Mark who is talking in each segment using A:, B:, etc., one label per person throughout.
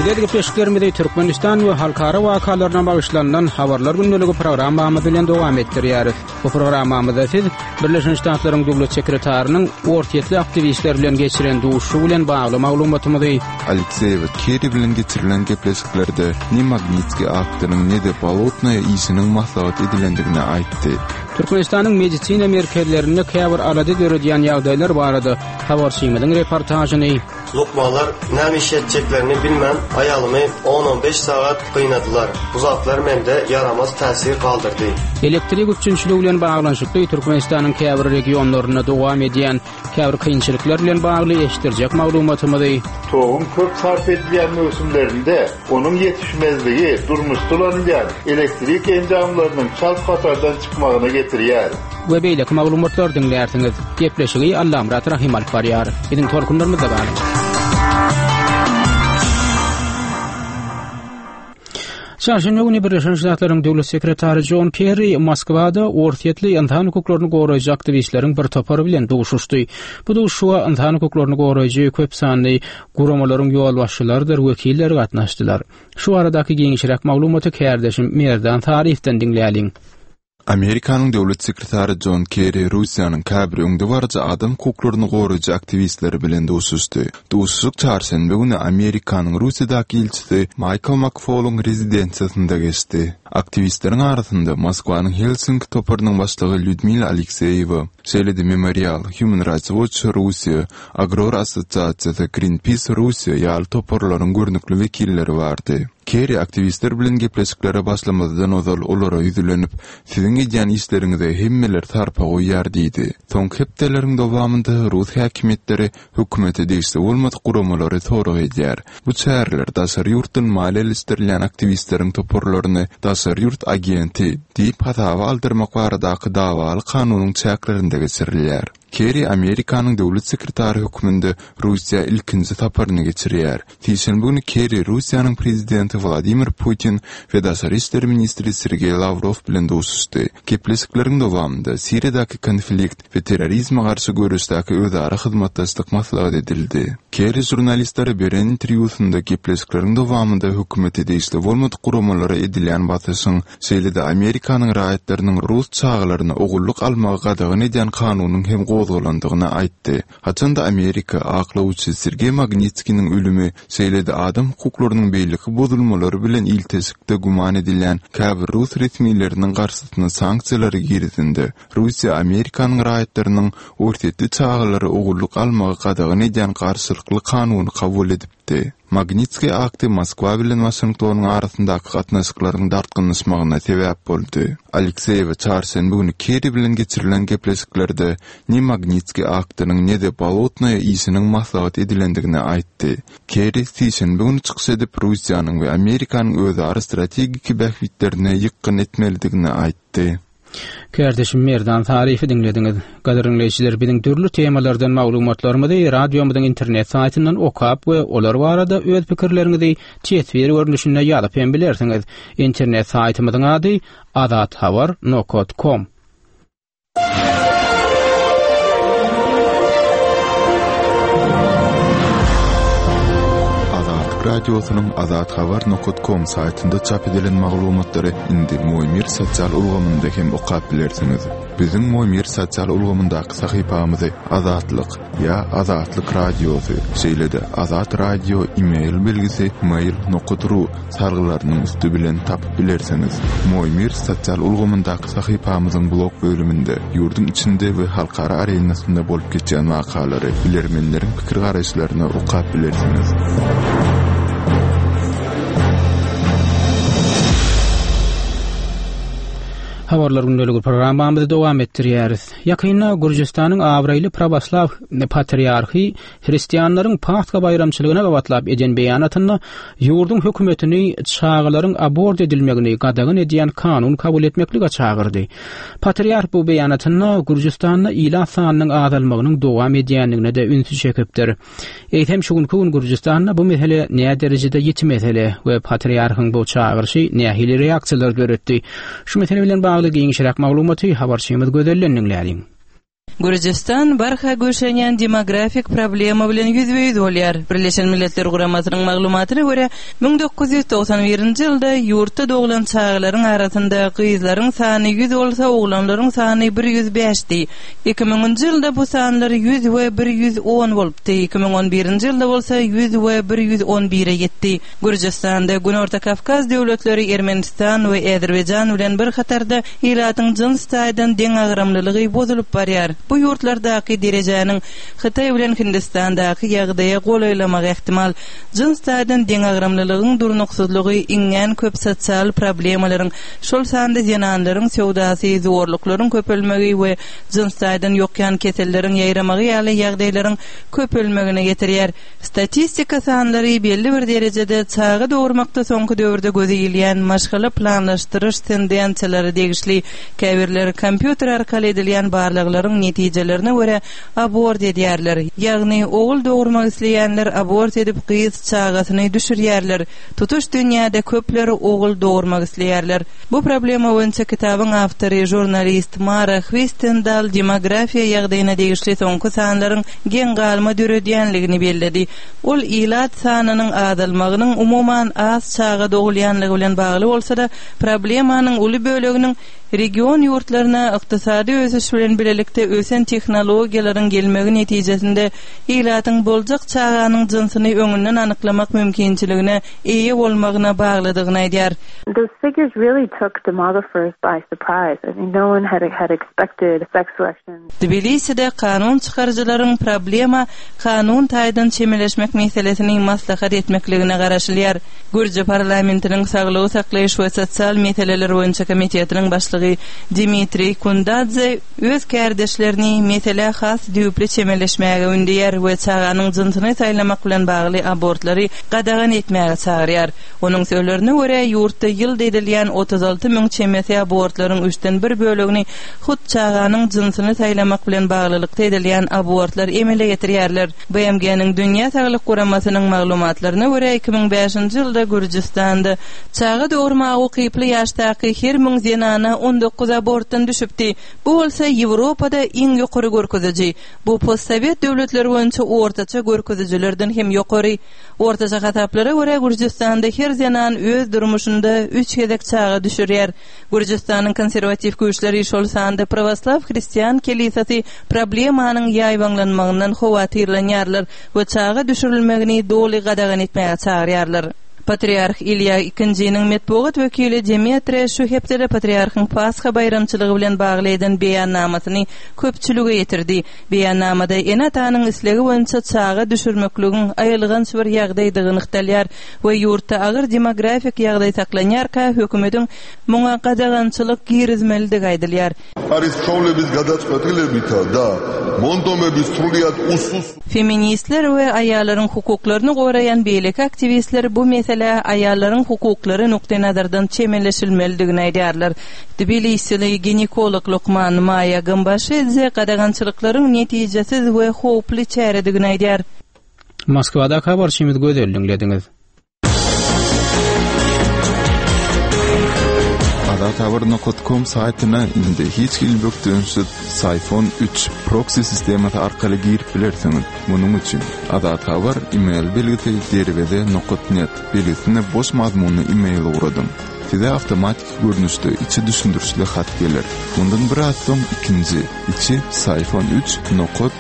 A: Biz öz gepleşiklerimizi Türkmenistan we halkara wakalaryna bagyşlanylan Habarlar gündeligi programmamyz bilen dowam etdirýäris. Bu programmamyzda siz Birleşen Ştatlaryň Döwlet sekretarynyň orsýetli aktiwistler bilen geçiren duşuşygy bilen bagly maglumatymyzy,
B: Alekseýewa Kerri bilen geçirilen gepleşiklerde ne Magnitskiý aktynyň, ne-de Bolotnaýa işiniň maslahat edilendigini aýtdy.
A: Türkmenistanyň medisina merkezlerinde käbir alada döredýän ýagdaýlar barada habarçymyzyň reportažyny,
C: Lukmanlar näme iş etjeklerini bilmän, aýalymy on-on beş sagat gynadylar. Bu zatlar mende ýaramaz täsir galdyrdy.
A: Elektrik üpjünçiligi bilen baglanyşykly Türkmenistanyň käbir regionlarynda dowam edýän käbir kynçylyklar bilen bagly eşitdirjek maglumatymyzy,
D: Toguň köp sarp edilýän möwsümlerinde onuň ýetişmezligi durmuşda ulanylýan elektrik enjamlarynyň çalt hatardan çykmagyna getirýär.
A: We beýleki maglumatlary diňlärsiňiz. Gepleşigi Allamyrat Rahym alyp barýar. Biziň tolkunlarymyzda galyň. Çarşenbe güni Birleşen Ştatlaryň Döwlet sekretary Jon Kerri Moskwada orsýetli ynsan hukuklaryny goraýjy aktiwistleriň bir topary bilen duşuşdy. Bu duşuşyga ynsan hukuklaryny goraýjy köp sanly guramalaryň ýolbaşçylarydyr wekilleri gatnaşdylar. Şu baradaky giňişräk maglumaty kärdeşim Merdan Saryýewden diňläliň.
B: Amerikanyň Döwlet sekretary Jon Kerri Russiýanyň käbir öňdebaryjy adam hukuklaryny goraýjy aktiwistleri bilen duşuşdy. Duşuşyk çarşenbe güni Amerikanyň Russiýadaky ilçisi Maýkl Makfolyň rezidensiýasynda geçdi. Aktiwistleriň arasynda Moskwanyň Helsinki toparynyň başlygy Lýudmila Alekseýewa, şeýle-de Memorial, Human Rights Watch Russiýa, Agror assosiasiýasy, Greenpeace Russiýa ýaly toparlaryň görnükli wekilleri bardy. Kerri aktiwistler bilen gepleşiklere başlamazdan ozal olara ýüzlenip, Siziň edýän işleriňize hemmeler sarpa goýýar diýdi. Soňky hepdeleriň dowamynda rus häkimiýetleri hökümete degişli bolmadyk guramalary sorag edýär. Bu çäreler daşary ýurtdan maliýeleşdirilýän aktiwistleriň toparlaryny daşary ýurt agenti diýip hasaba aldyrmak baradaky dawaly kanunyň çäklerinde geçirilýär. Kerri Amerikanyň döwlet sekretary hökmünde Russiýa ilkinji saparyny geçirýär. Sişenbe güni Kerri Russiýanyň prezidenti Wladimir Putin we daşary işler ministri Sergeý Lawrow bilen duşuşdy. Gepleşikleriň dowamynda Siriýadaky konflikt we terrorizme garşy göreşdäki özara hyzmatdaşlyk maslahat edildi. Kerri žurnalistlere beren interwýusynda gepleşikleriň dowamynda hökümete degişli bolmadyk guramalara edilýän basyşyň, şeýle-de Amerikanyň raýatlarynyň rus çagalaryna ogullyk almagy gadagan edýän kanunyň hem gozgalandygyny aýtdy. Haçan-da Amerika aklawçy Sergeý Magnitskiniň ölümi, şeýle-de adam hukuklarynyň beýleki bozulmalary bilen ilteşikde güman edilýän käbir rus resmileriniň garşysyna sanksiýalary girizende, Russiýa Amerikanyň raýatlarynyň orsýetli çagalary ogullyk almagy gadagan edýän garşylykly kanuny kabul edipdi. Magnitskiý akty Moskwa bilen Waşingtonyň arasyndaky gatnaşyklaryň dartgynlaşmagyna sebäp boldy. Alekseýewa çarşenbe güni Kerri bilen geçirilen gepleşiklerde ne Magnitskiý aktynyň, ne-de Bolotnaýa işiniň maslahat edilendigini aýtdy. Kerri sişenbe güni çykyş edip, Russiýanyň we Amerikanyň özara strategiki bähbitlerine ýykgyn etmelidigini aýtdy.
A: Kärdeşim Merdan Saryýewi diňlediňiz. Gadyrly diňleýjiler, biziň dürli temalardan maglumatlarymyzy radiomyzyň internet saýtyndan okap we olar barada öz pikirleriňizi teswir görnüşinde ýazyp hem bilersiňiz. Internet saýtymyzyň ady azathabar nokat kom.
B: Azatlyk Radiosynyň azathabar nokat kom saýtynda çap edilen maglumatlary indi Moýmir sosial ulgamynda hem okap bilersiňiz. Biziň Moýmir sosial ulgamyndaky sahypamyzy Azatlyk ýa Azatlyk Radiosy, şeýle-de Azat Radio e-mail belgisi mail nokat ru salgylarynyň üsti bilen tapyp bilersiňiz. Moýmir sosial ulgamyndaky sahypamyzyň blog bölüminde ýurduň içinde we halkara arenasynda bolup geçýän wakalary, bilermenleriň pikir-garaýyşlaryny okap bilersiňiz.
A: Habarlar gündeligi programmamyzy dowam etdirýäris. Ýakynda Gürjüstanyň abraýly prawoslaw patriarhy hristianlaryň Pasha baýramçylygyna gabatlap eden beýanatynda ýurduň hökümetini çagalaryň abort edilmegini gadagan edýän kanun kabul etmeklige çagyrdy. Patriarh bu beýanatynda Gürjüstanda ilat sanynyň azalmagynyň dowam edýändigine-de ünsi çekipdir. Eýsem şu günki gün Gürjüstanda bu mesele näderejede ýiti mesele we patriarhyň bu çagyryşy nähili reaksiýalar döretdi? Şu mesele bilen bagly giňişräk maglumaty habarçymyz Gözelden diňläliň.
E: Gürjüstan barha güýçlenýän demografik problema bilen ýüzbe-ýüz bolýar. Birleşen Milletler Guramasynyň maglumatyna görä, 1991-nji ýylda ýurtda doglan çagalaryň arasynda gyzlaryň sany ýüz bolsa, oglanlaryň sany bir ýüz bäşdi. Iki müňünji ýylda bu sanlar ýüz we bir 110 bolupdy, 2011-nji ýylda bolsa ýüz we bir 111-e ýetdi. Gürjüstanda Günorta Kawkaz döwletleri Ermenistan we Äzerbaýjan bilen bir hatarda ilatyň jyns taýdan deňagramlylygy bozulyp barýar. Bu ýurtlardaky derejäniň Hytaý bilen Hindistandaky ýagdaýa golaýlamagy ähtimal. Jyns taýdan deňagramlylygyň durnuksyzlygy iňňän köp sosial problemalaryň, şol sanda zenanlaryň söwdasy, zorluklaryň köpelmegi we jyns taýdan ýokýan keselleriň ýaýramagy ýaly ýagdaýlaryň köpelmegine getirýär. Statistika sanlary belli bir derejede çaga dogurmakda soňky döwürde göze ilýän maşgala planlaşdyryş tendensiýalary degişli. Käbirleri kompýuter arkaly edilýän barlaglaryň netijelerine görä abort edýärler. Ýagny ogul dogurmak isleýänler abort edip gyz çagasyny düşürýärler. Tutuş dünýäde köpler ogul dogurmak isleýärler. Bu problema boýunça kitabyň awtory žurnalist Mara Hwistendal demografiýa ýagdaýyna degişli soňky sanlaryň geň galma döredýänligini belledi. Ol ilat sanynyň azalmagynyň umuman az çaga dogulýanlygy bilen bagly bolsa-da, problemanyň uly böleginiň region ýurtlaryna ykdysady ösüş bilen bilelikde ösen tehnologiýalaryň gelmegi netijesinde ilatyň boljak çaganyň jynsyny öňünden anyklamak mümkinçiligine eýe bolmagyna baglydygyny aýdýar.
F: Those figures really took demographers by surprise. I mean, no one had had expected sex selection.
E: Tbiliside kanun çykaryjylaryň problema kanun taýdan çemeleşmek meselesini maslahat etmekligine garaşylýar. Gürji parlamentiniň saglygy saklaýyş we sosial meseleler boýunça komitetiniň başlygy Dimitriý Kundadze öz kärdeşlerini meselä has düýpli çemeleşmäge ündeýär we çaganyň jynsyny saýlamak bilen bagly abortlary gadagan etmäge çagyrýar. Onuň sözlerine görä, ýurtda ýylda edilýän 36 müň çemesi abortlaryň üçden bir bölegini hut çaganyň jynsyny saýlamak bilen baglylykda edilýän abortlar emele getirýärler. BMG-niň Dünýä Saglyk Guramasynyň maglumatlaryna görä, 2005-nji ýylda Gürjüstanda çaga dogurmaga ukyply ýaşdaky her müň zenana 19 abortdan düşüpdi. Bu bolsa Ýewropada iň ýokary görkeziji. Bu postsowet döwletleri boýunça ortaça görkezijilerden hem ýokary. Ortaça hasaplara görä, Gürjüstanda her zenan öz durmuşynda üç gezek çaga düşürýär. Gürjüstanyň konserwatiw güýçleri, şol sanda prawoslaw hristian kelisasy problemanyň ýaýbaňlanmagyndan howatyrlanýarlar we çaga düşürilmegini doly gadagan etmäge çagyrýarlar. Patriarh Ilýa II-niň metbugat wekili Demetre şu hepdede patriarhyň Pasha baýramçylygy bilen bagly eden beýannamasyny köpçülige ýetirdi. Beýannamada ene-atanyň islegi boýunça çaga düşürmekligiň aýylganç bir ýagdaýdygy nygtalýar we ýurtda agyr demografik ýagdaý saklanýarka hökümetiň muňa gadagançylyk girizmelidigi aýdylýar.
G: არის ცხოვრების გადაწყვეტილებითა და მონდომების სრულიად უსუს
E: Feministler we aýallaryň hukuklaryny goraýan beýleki aktiwistler bu meselä aýallaryň hukuklary nukdaýnazardan çemeleşilmelidigini aýdýarlar. Tbilisili ginekolog lukman Maýa Gambaşidze gadagançylyklaryň netijesiz we howply çäredigini aýdýar.
A: Moskwadaky habarçymyz Gözel diňlediňiz.
B: Azathabar nokat kom saýtyna indi hiç hili bökdençsiz Syfon üç proksi sistemasy arkaly girip bilersiňiz. Munuň üçin Azathabar email belgisi derweze nokat net belgisine boş mazmunly email ugradyň. Size awtomatiki görnüşde içi düşündirişli hat geler. Mundan biraz soň ikinji, içi Syfon üç nokat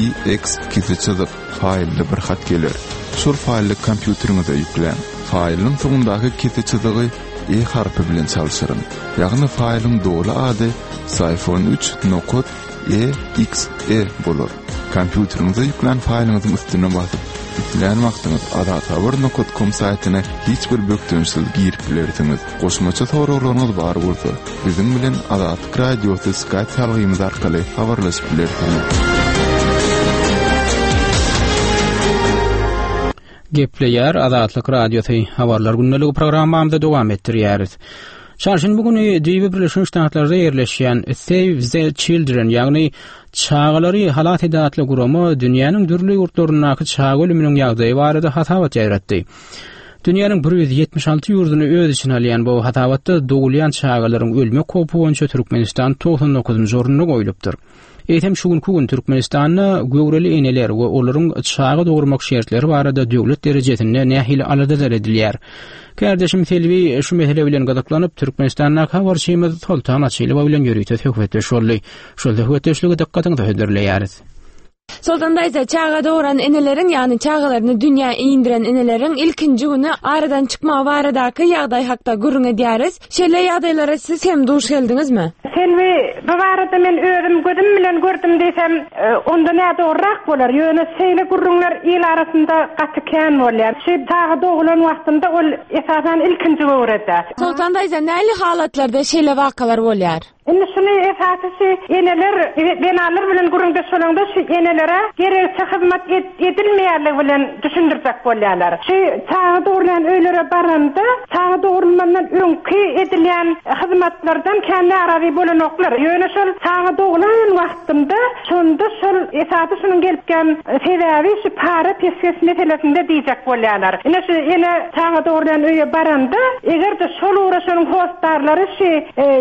B: EX kese çyzyk faýlly bir hat geler. Şol faýly kompýuteriňize ýükläň. Faýlyň soňundaky kese çyzygy E harpy bilen çalşyryň. Ýagny faýlyň doly ady syfon üç nokat EXE bolar. Kompýuteriňize ýüklän faýlyňyzyň üstüne basyp, islän wagtyňyz azathabar nokat kom saýtyna hiç bir bökdençsiz girip bilersiňiz. Goşmaça soraglaryňyz bar bolsa, biziň bilen Azatlyk Radiosy Skype salgymyz arkaly habarlaşyp bilersiňiz.
A: Gepleýär Azatlyk Radiosy Habarlar gündeligi programmamyzy dowam etdirýäris. Çarşenbe güni düýbi Birleşen Ştatlarda ýerleşýän Save the Children, ýagny Çagalary halas ed atly gurama dünýäniň dürli ýurtlaryndaky çaga ölüminiň ýagdaýy barada hasabat ýaýratdy. Dünýäniň 176 ýurduny öz içine alýan bu hasabatda dogulýan çagalaryň ölmek howpy boýunça Türkmenistan 99-njy orunda goýlupdyr. Eýsem şu günki gün Türkmenistanda göwreli eneler we olaryň çaga dogurmak şertleri barada döwlet derejesinde nähili aladalar edilýär? Kärdeşim Selbi şu mesele bilen gyzyklanyp, Türkmenistandaky habarçymyz Soltan Açylowa bilen ýörite söhbetdeş boldy. Şol söhbetdeşligi dykgatyňyza hödürleýäris.
H: Soltan daýza, çaga dogran eneleriň, ýagny çagalaryny dünýä indiren eneleriň ilkinji güni aradan çykmagy baradaky ýagdaý hakda gürrüň edýäris. Şeýle ýagdaýlara siz hem duş geldiňizmi?
I: Selbi, bu barada men özüm gözüm bilen gördüm diýsem, onda nädogryrak bolar. Ýöne şeýle gürrüňler il arasynda gaty kän bolýar. Şu çaga doglan wagtynda ol esasan ilkinji göwrede.
H: Soltan daýza, nähili halatlarda şeýle wakalar bolýar?
I: Indi şuny esasy şu eneler, zenanlar bilen gürrüňdeş bolaňda şu enelere geregiçe hyzmat edilmeýänligi bilen düşündirjek bolýarlar. Şu çaga dogrulýan öýlere baranda, çaga dogrulmandan öňki edilýän hyzmatlardan kän närazy bolanoklar. Ýöne şol çaga doglan wagtynda şonda şol esasy şunuň gelipgän sebäbi şu para-peşgeş meselesinde diýjek bolýarlar. Ine şu ene çaga dogrulýan öýe baranda, eger-de şol ugra şonuň hossarlary şu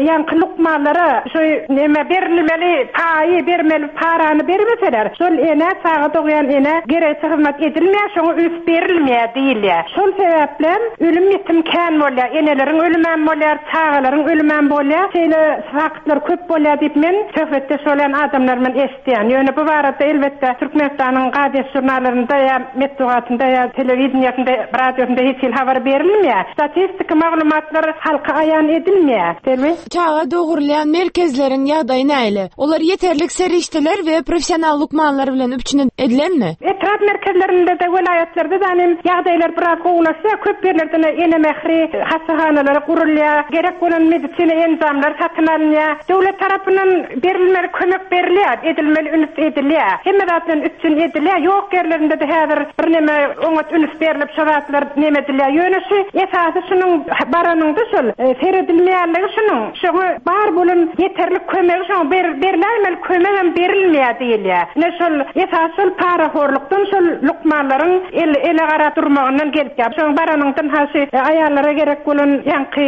I: Ýaňky lukmanlara şu neme berilmeli paýy bermeli parany bermeseler, şol enä çaga dogýan enä geregiçe hyzmat edilmeýär, şoňa üns berilmeýär diýilýär. Şol sebäplem ölüm-ýitim kän bolýar, eneleriň ölümem bolýar, çagalaryň ölümem bolýar. Şeýle faktlar köp bolýar diýip men söhbetdeş bolýan adamlarymdan eşidýän. Ýöne bu barada elbetde Türkmenistanyň gazet-žurnallarynda ýa metbugatynda ýa telewideniýesinde, radiosynda hiç hili habar berilmeýär. Statistiki maglumatlar halka aýan edilmeýär. Selbi.
H: Çaga dogurylýan merkezleriň ýagdaýy nähili? Olar ýeterlik serişdeler we professional lukmanlar bilen üpjün edilenmi?
I: Etrap merkezlerinde-de, welaýatlarda-da hem ýagdaýlar biraz gowulaşýar. Köp ýerlerde Ene mähri hassahanalary gurulýar, gerek bolan medisina enjamlary satyn alynýar. Döwlet tarapyndan berilmeli kömek berilýär, edilmeli üns edilýär. Hemme zat bilen üpjün edilýär. Ýok ýerlerinde-de häzir birneme oňat üns berlip, şo zatlar neme edilýär. Ýöne şu esasy şunuň baranyňda şol seredilmeýänligi şunuň, şoňa bar bolan ýeterlik kömegi şoňa berläýmeli kömegem berilmeýär diýilýär. Ine şol esasy şol parahorlukdan şol lukmanlaryň el ele garap durmagyndan gelip ýa. Şoň baranyňdan ha şu aýallara gerek bolan ýaňky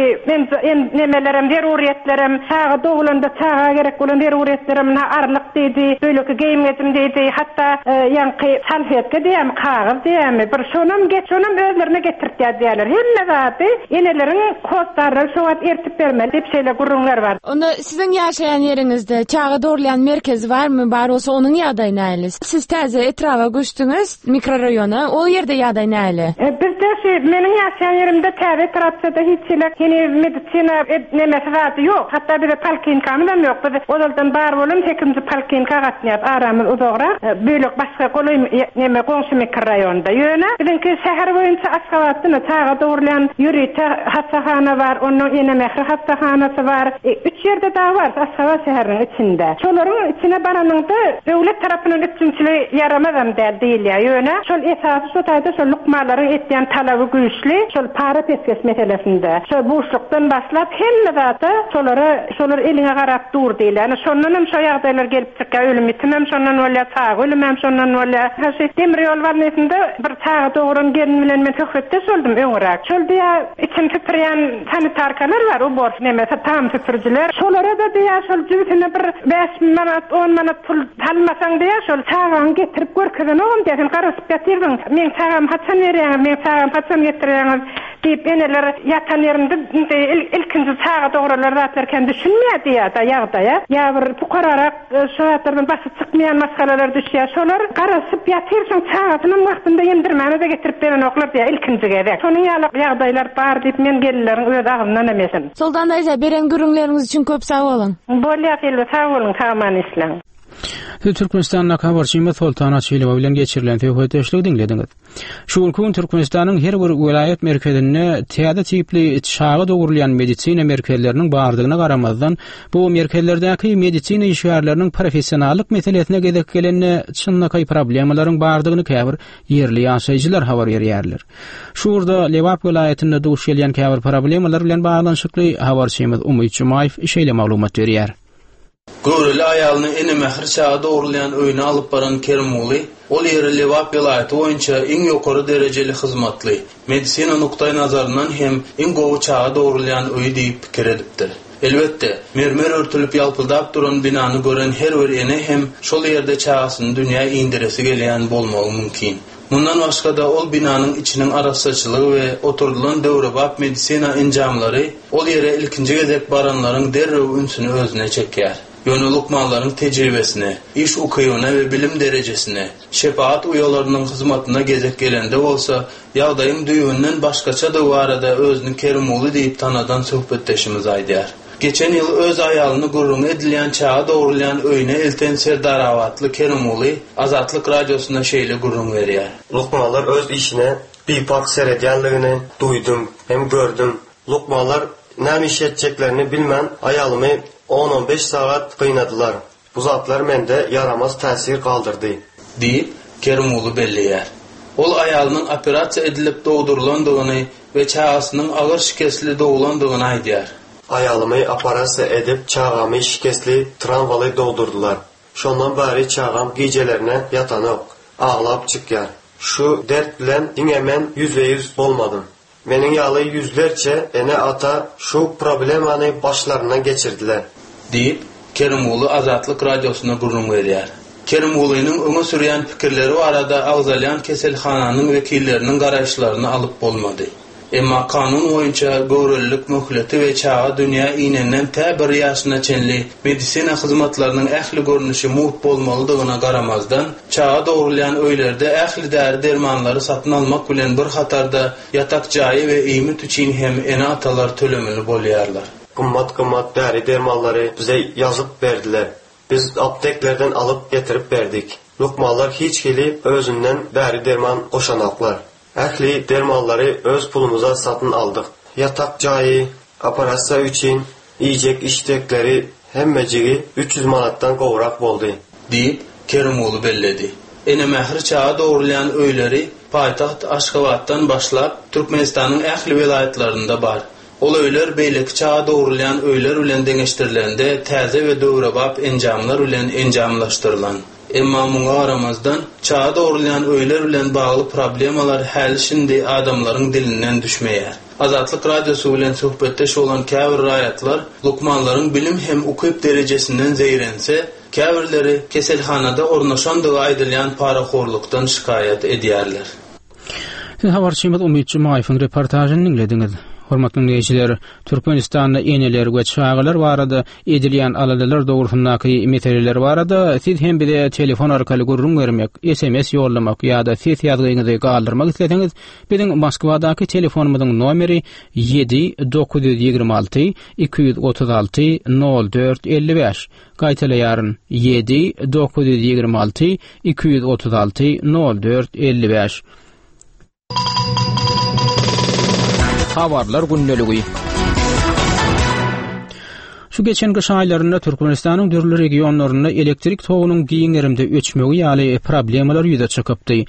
I: nemelerem zeruryýetlerem çaga dogulanda çaga gerek bolan zeruryýetlerem ynha arlyk diýdi, beýleki geýim-gejim diýdi, hatda ýaňky salfetka diýýärmi, kagyz diýýärmi, bir şonam geç, şonam özlerine getirtýär diýýärler. Hemme zady eneleriň hossarlary şo wagt ertip bermeli diýip şeýle gürrüňler bar.
H: Onda siziň ýaşaýan ýeriňizde çaga dogrulýan merkez barmy, bar bolsa onuň ýagdaýy nähili? Siz täze etraba göçdüňiz, mikroraýona, ol ýerde ýagdaý nähili?
I: Bizde şu meniň ýaşaýan ýerimde täze etrapçada hiç hili heniz medisina nemesi zady ýok. Hatda bize polklinkamyzam ýok. Biz ozaldan bar bolan sekizinji polklinka gatnaýas. Aramyz uzagrak. Bölek başga golaý neme goňşy mikroraýonda. Ýöne biziňki şäher boýunça Aşgabatda çaga dogrulýan ýörite hassahana bar. Onnoň Ene mähri hassahanasy bar. Üç ýerde dagy bar Aşgabat şäheriniň içinde. Şolaryň içine baranyňda döwlet tarapyndan üpjünçiligi ýaramazam däl diýilýär. Ýöne şol esasy şo taýda şol lukmanlaryň etýän talaby güýçli şol para-pesgeş meselesinde. Şo buşlukdan başlap hemme zatda şolara şolar eliňe garap dur diýilýär. Ine şondanam şo ýagdaýlar gelip çykýar. Ölüm-ýitimem şondan bolýar, çaga ölümem şondan bolýar. Ha şu demir ýol bolnisynda bir çaga dogran gelin bilen men söhbetdeş boldum öňüräk. Şol diýýär içini süpürýän sanitarkalar bar, ubor nemesi tam süpürijiler. Şolara-da diýýär şol jübüsine bir 5000 manat, on manat pul salmasaň diýýär, şol çagaňy getirip görkezenogam diýýär, sen garaşyp ýatyrdyň, meň çagamy haçan berýäňiz, meň çagamy haçan getirýäňiz diýip eneler ýatan ýerinde indi ilkinji çaga dogranlar zatlar kän düşünmeýär diýýär-de ýagdaýa. Ýa bir pukararak şu zatlardan başy çykmaýan maşgalalar düşýär. Şolar garaşyp ýatyr, şoň çagasynam wagtynda emdirmäne-de getirip berenoklar diýýär ilkinji gezek. Şonuň ýaly ýagdaýlar bar diýip men gelinleriň öz agzyndanam eşitdim.
H: Soltan daýza beren gürrüňleriňiz üçin köp sag boluň.
I: Bolýa Selbi sag boluň sag-aman işläň.
A: Siz Türkmenistandaky habarçymyz Soltan Açylowa bilen geçirilen söhbetdeşligi diňlediňiz. Şu günki gün Türkmenistanyň her bir welaýat merkezinde täze tipli çaga dogrulýan medisina merkezleriniň bardygyna garamazdan, bu merkezlerdäki medisina işgärleriniň professionallyk meselesine gezek gelende çynlakaý problemalaryň bardygyny käbir ýerli ýaşaýjylar habar berýärler. Şu ugurda Lebap welaýatynda duş gelýän käbir problemalar bilen baglanyşykly habarçymyz Umyt Jumaýew şeýle maglumat berýär.
J: Göwreli aýalyny Ene mähri çaga dogrulýan öýüne alyp baran Kerimguly ol ýeri Lebap welaýaty boýunça iň ýokary derejeli hyzmatly, medisina nukdaýnazaryndan hem iň gowy çaga dogrulýan öý diýip pikir edipdir. Elbetde, mermer örtülip ýalpyldap duran binany gören her bir ene hem şol ýerde çagasyny dünýä indiresi gelýän bolmagy mümkin. Mundan başga-da, ol binanyň içiniň arassaçylygy we oturdylan döwrebap medisina enjamlary ol ýere ilkinji gezek baranlaryň derrew ünsüni özüne çekýär. Ýöne lukmanlaryň tejribesine, iş ukybyna we bilim derejesine, şepagat uýalarynyň hyzmatyna gezek gelende bolsa, ýagdaýyň düýbünden başgaçadygy barada özüni Kerimguly diýip tanadan söhbetdeşimiz aýdýar. Geçen ýyl öz aýalyny gürrüňi edilýän çaga dogrulýan öýüne elten Serdarabatly Kerimguly Azatlyk Radiosyna şeýle gürrüň berýär.
C: Lukmanlar öz işine biparh seredýänligini duýdum hem gördüm. Lukmanlar näme iş etjeklerini bilmän aýalymy on-on beş sagat gynadylar. Bu zatlar mende ýaramaz täsir galdyrdy.
J: Diýip, Kerimguly belleýär. Ol aýalynyň operasiýa edilip dogdurylandygyny we çagasynyň agyr şikesli doglandygyny aýdýar.
C: Aýalymy operasiýa edip, çagamy şikesli, trawmaly dogdurdylar. Şondan bäri çagam gijelerine ýatanok, aglap çykýar. Şu dert bilen diňe men ýüzbe-ýüz bolmadym. Meniň ýaly ýüzlerçe ene-ata şu problemany başlaryndan geçirdiler.
J: Diýip, Kerimguly Azatlyk Radiosyna gürrüň berýär. Kerimgulynyň öňe sürýän pikirleri barada agzalýan keselhananyň wekilleriniň garaýyşlaryny alyp bolmady. Emma kanun boýunça göwrelilik möhleti we çaga dünýä inenden tä bir ýaşyna çenli medisina hyzmatlarynyň ähli görnüşi mugt bolmalydygyna garamazdan, çaga dogrulýan öýlerde ähli däri-dermanlary satyn almak bilen bir hatarda ýatak jaýy we iýmit üçin hem ene-atalar tölemeli bolýarlar.
C: Gymmat-gymmat däri-dermanlary bize ýazyp berdiler. Biz apteklerden alyp getirip berdik. Lukmanlar hiç hili özünden däri-derman goşanoklar. Ähli dermanlary öz pulumyza satyn aldyk. Ýatak jaýy, operasiýa üçin iýjek-içjekleri hemmejigi 300 manatdan gowrak boldy.
J: Diýip, Kerimguly belledi. Ene mähri çaga dogrulýan öýleri paýtagt Aşgabatdan başlap, Türkmenistanyň ähli welaýatlarynda bar. Ol öýler beýleki çaga dogrulýan öýler bilen deňeşdirilende täze we döwrebap enjamlar bilen enjamlaşdyrylan. Emma muňa garamazdan, çaga dogrulýan öýler bilen bagly problemalar häli-şindi adamlaryň dilinden düşmeýär. Azatlyk Radiosy bilen söhbetdeş bolan käbir raýatlar lukmanlaryň bilim hem ukyp derejesinden zeýrense, käbirleri keselhanada ornaşandygy aýdylýan parahorlukdan şikaýat edýärler.
A: Siz habarçymyz Umyt Jumaýewiň reportažyny diňlediňiz. Hormatly diňleýjiler, Türkmenistanda eneler we çagalar barada edilýän aladalar dogrusyndaky meseleler barada siz hem bize telefon arkaly gürrüň bermek, SMS ýollamak ýa-da ses ýazgyňyzy galdyrmak isleseňiz, biziň Moskwadaky telefonymyzyň nomeri 7 926 236 04 55. Gaýtalaýaryn, 7 926 236 04 55. Habarlar gündeligi. Şu geçen gyş aýlarynda Türkmenistanyň dürli regionlarynda elektrik togunyň giň gerimde öçmegi ýaly problemalar ýüze çykypdy.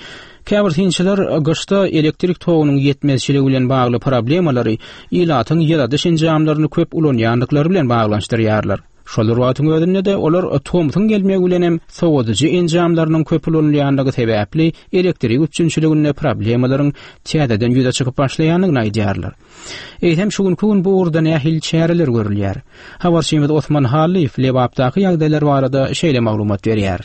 A: Käbir synçylar gyşda elektrik togunyň ýetmezçiligi bilen bagly problemalary ilatyň ýyladyş enjamlaryny köp ulanýandyklary bilen baglanyşdyrýarlar. Şol bir wagtyň özünde-de olar tomsuň gelmegi bilen hem sowadyjy enjamlarynyň köp ulanylýandygy sebäpli elektrik üpjünçiliginde problemalaryň täzeden ýüze çykyp başlaýandygyny aýdýarlar. Eýsem şu günki gün bu ugurda nähili çäreler görülýär? Habarçymyz Osman Hallyýew Lebapdaky ýagdaýlar barada şeýle maglumat berýär.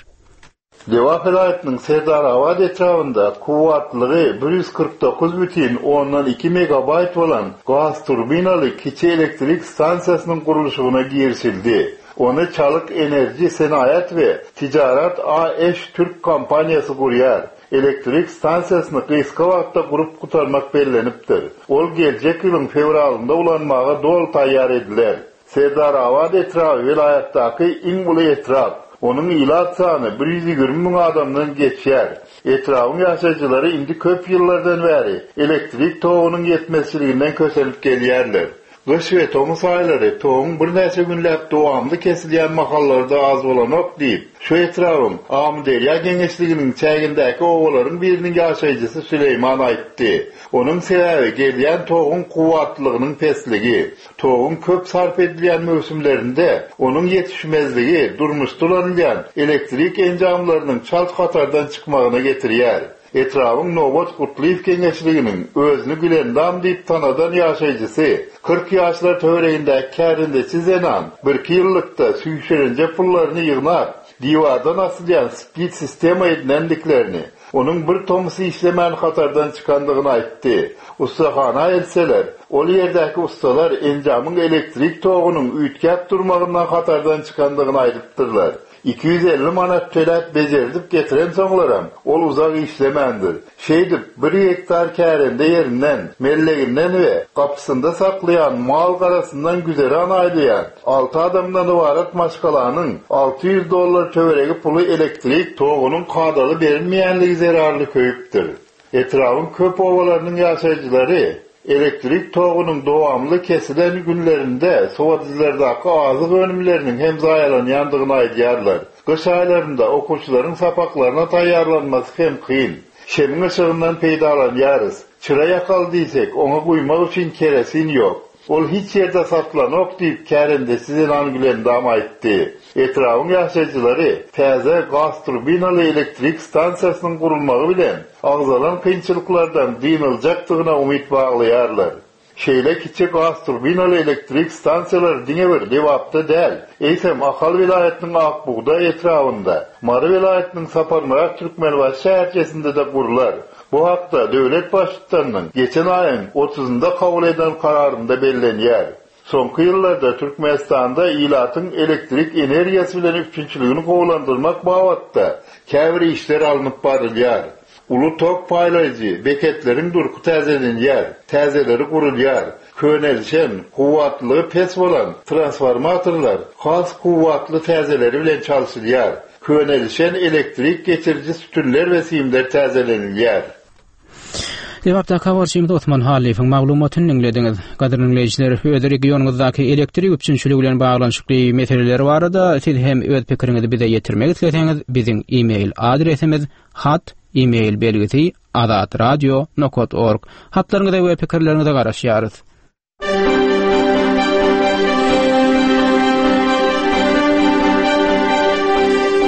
D: Lebap welaýatynyň Serdarabat etrabynda kuwwatlygy 149 bütin ondan iki megabaýt bolan gaz turbinaly kiçi elektrik stansiýasynyň gurluşygyna girişildi. Ony Çalyk Enerji Senagat we Tijarat AŞ türk kompaniýasy gurýar. Elektrik stansiýasyny gysga wagtda gurup gutarmak bellenipdir. Ol geljek ýylyň fewralynda ulanmaga doly taýýar ediler. Serdarabat etraby welaýatdaky iň uly etrap. Onuň ilat sany 120 müň adamdan geçýär. Etrabyň ýaşaýjylary indi köp ýyllardan bäri elektrik togunyň ýetmezçiliginden kösenip gelýärler. Gyş we tomus aýlary toguň birnäçe günläp dowamly kesilýän mahallary-da az bolanok diýip, şu etrabyň Amyderýa geňeşliginiň çägindäki obalaryň biriniň ýaşaýjysy Süleýman aýtdy. Onuň sebäbi gelýän toguň kuwwatlylygynyň pesligi. Toguň köp sarp edilýän möwsümlerinde onuň ýetişmezligi durmuşda ulanylýan elektrik enjamlarynyň çalt hatardan çykmagyna getirýär. Etrabyň Nobat Gutlyýew geňeşliginiň özüni Gülendam diýip tanadan ýaşaýjysy, 40 ýaşlar töweregindäki kärendeçi zenan birki ýyllykda süýşürinje pullaryny ýygnap, diwardan asylýan split sistema edinendiklerini, onuň bir tomus işlemän hatardan çykandygyny aýtdy. Ussahana eltseler, ol ýerdäki ussalar enjamyň elektrik togunyň üýtgäp durmagyndan hatardan çykandygyny aýdypdyrlar. 250 manat töläp bejerdip getirensoňlaram, ol uzak işlemändir. Şeýdip, bir gektar kärende ýerinden, melleginden we gapysynda saklaýan mal-garasyndan güzeran aýlaýan alty adamdan ybarat maşgalanyň 600 dollar töweregi puly elektrik togunyň kadaly berilmeýänligi zerarly köýüpdir. Etrabyň köp obalarynyň ýaşaýjylary elektrik togunyň dowamly kesilen günlerinde sowadyjylardaky azyk önümleriniň hem zaýalanýandygyny aýdýarlar. Gyş aýlarynda okuwçylaryň sapaklaryna taýýarlanmasy hem kyn. Şemiň yşygyndan peýdalanýarys. Çyra ýakaly diýsek, oňa guýmak üçin kerosin ýok. Ol hiç ýerde satylanok diýip, kärendeçi zenan Gülendam aýtdy. Etrabyň ýaşaýjylary täze gazturbinaly elektrik stansiýasynyň gurulmagy bilen agzalan kynçylyklardan dynyljakdygyna umyt baglaýarlar. Şeýle kiçi gazturbinaly elektrik stansiýalary diňe bir Lebapda däl, eýsem Ahal welaýatynyň Ak bugdaý etrabynda, Mary welaýatynyň Saparmyrat Türkmenbaşy şäherçesinde-de gurlar. Bu hakda döwlet Baştutanynyň geçen aýyň otuzynda kabul eden kararynda bellenýär. Soňky ýyllarda Türkmenistanda ilatyň elektrik energiýasy bilen üpjünçiligini gowulandyrmak babatda käbir işler alnyp barylýar. Uly tok paýlaýjy beketleriň durky täzelenýär, täzeleri gurulýar. Könelişen, kuwwatlylygy pes bolan transformatorlar has kuwwatly täzeleri bilen çalşylýar. Könelişen elektrik geçiriji sütünler we simler täzelenilýär.
A: Lebapdaky habarçymyz Osman Hallyýewiň maglumatyny diňlediňiz. Gadyrly diňleýjiler, öz regionyňyzdaky elektrik üpjünçiligi bilen baglanyşykly meseleler barada siz hem öz pikiriňizi bize ýetirmek isleseňiz, biziň e-mail adresimiz hat e-mail belgisi azatradio nokat org. Hatlaryňyza we pikirleriňize garaşýarys.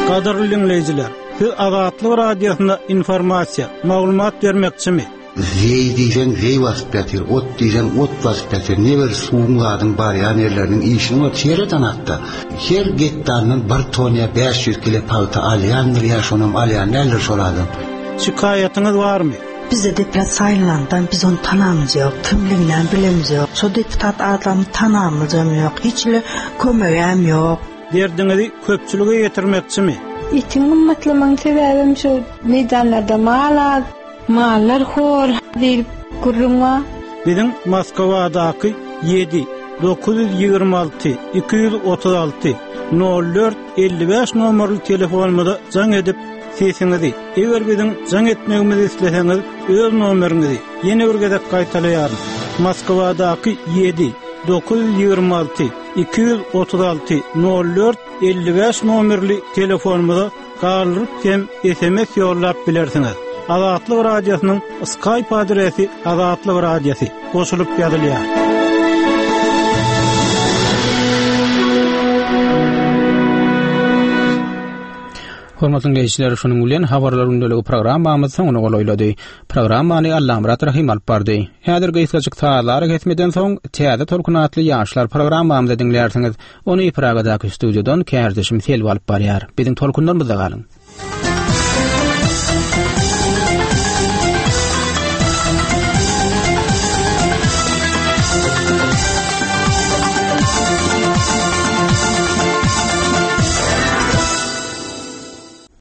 K: Gadyrly diňleýjiler, siz Azatlyk Radiosyna informasiýa, maglumat bermekçimi?
L: Zeý diýseň zeý basyp ýatyr, ot diýseň ot basyp ýatyr. Ne bir suwuň zadyň barýan ýerleriniň işini bolup sereden hatda. Her gektaryndan bir ton ýa 500 kile pagta alýandyr ýa şonam alýan däldir şol adam.
K: Şikaýatyňyz barmy?
M: Bize deputat saýlanandan biz ony tanamyz ýok, kimliginem bilemiz ýok. Şo deputat adamy tanamyzam ýok, hiç hili kömegem ýok.
K: Derdiňizi köpçülige ýetirmekçimi?
H: Etiň gymmatlamagyň sebäbem şu meýdanlarda mal az, mallar hor diýlip gürrüň bar.
K: Biziň Moskwadaky 7 926 236 04 55 nomerli telefonymyza jaň edip, sesiňizi, eger biziň jaň etmegimizi isleseňiz, öz nomeriňizi ýene bir gezek gaýtalaýaryn, Moskwadaky 7 926 236 04 55 nomerli telefonymyza galdyryp hem sms ýollap bilersiňiz. Azatlyk Radiosynyň Skype adresi Azatlyk Radiosy goşulyp ýazylýar.
A: Hormatly diňleýjiler, şunuň bilen Habarlar gündeligi programmamyz soňuna golaýlady. Programmany Allamyrat Rahym alyp bardy. Häzir gysgajyk sazly arakesmeden soň, Täze tolkun atly ýaşlar programmamyzy diňlärsiňiz. Ony Pragadaky studiýadan kärdeşim Selbi alyp barýar. Biziň tolkunlarymyzda galyň!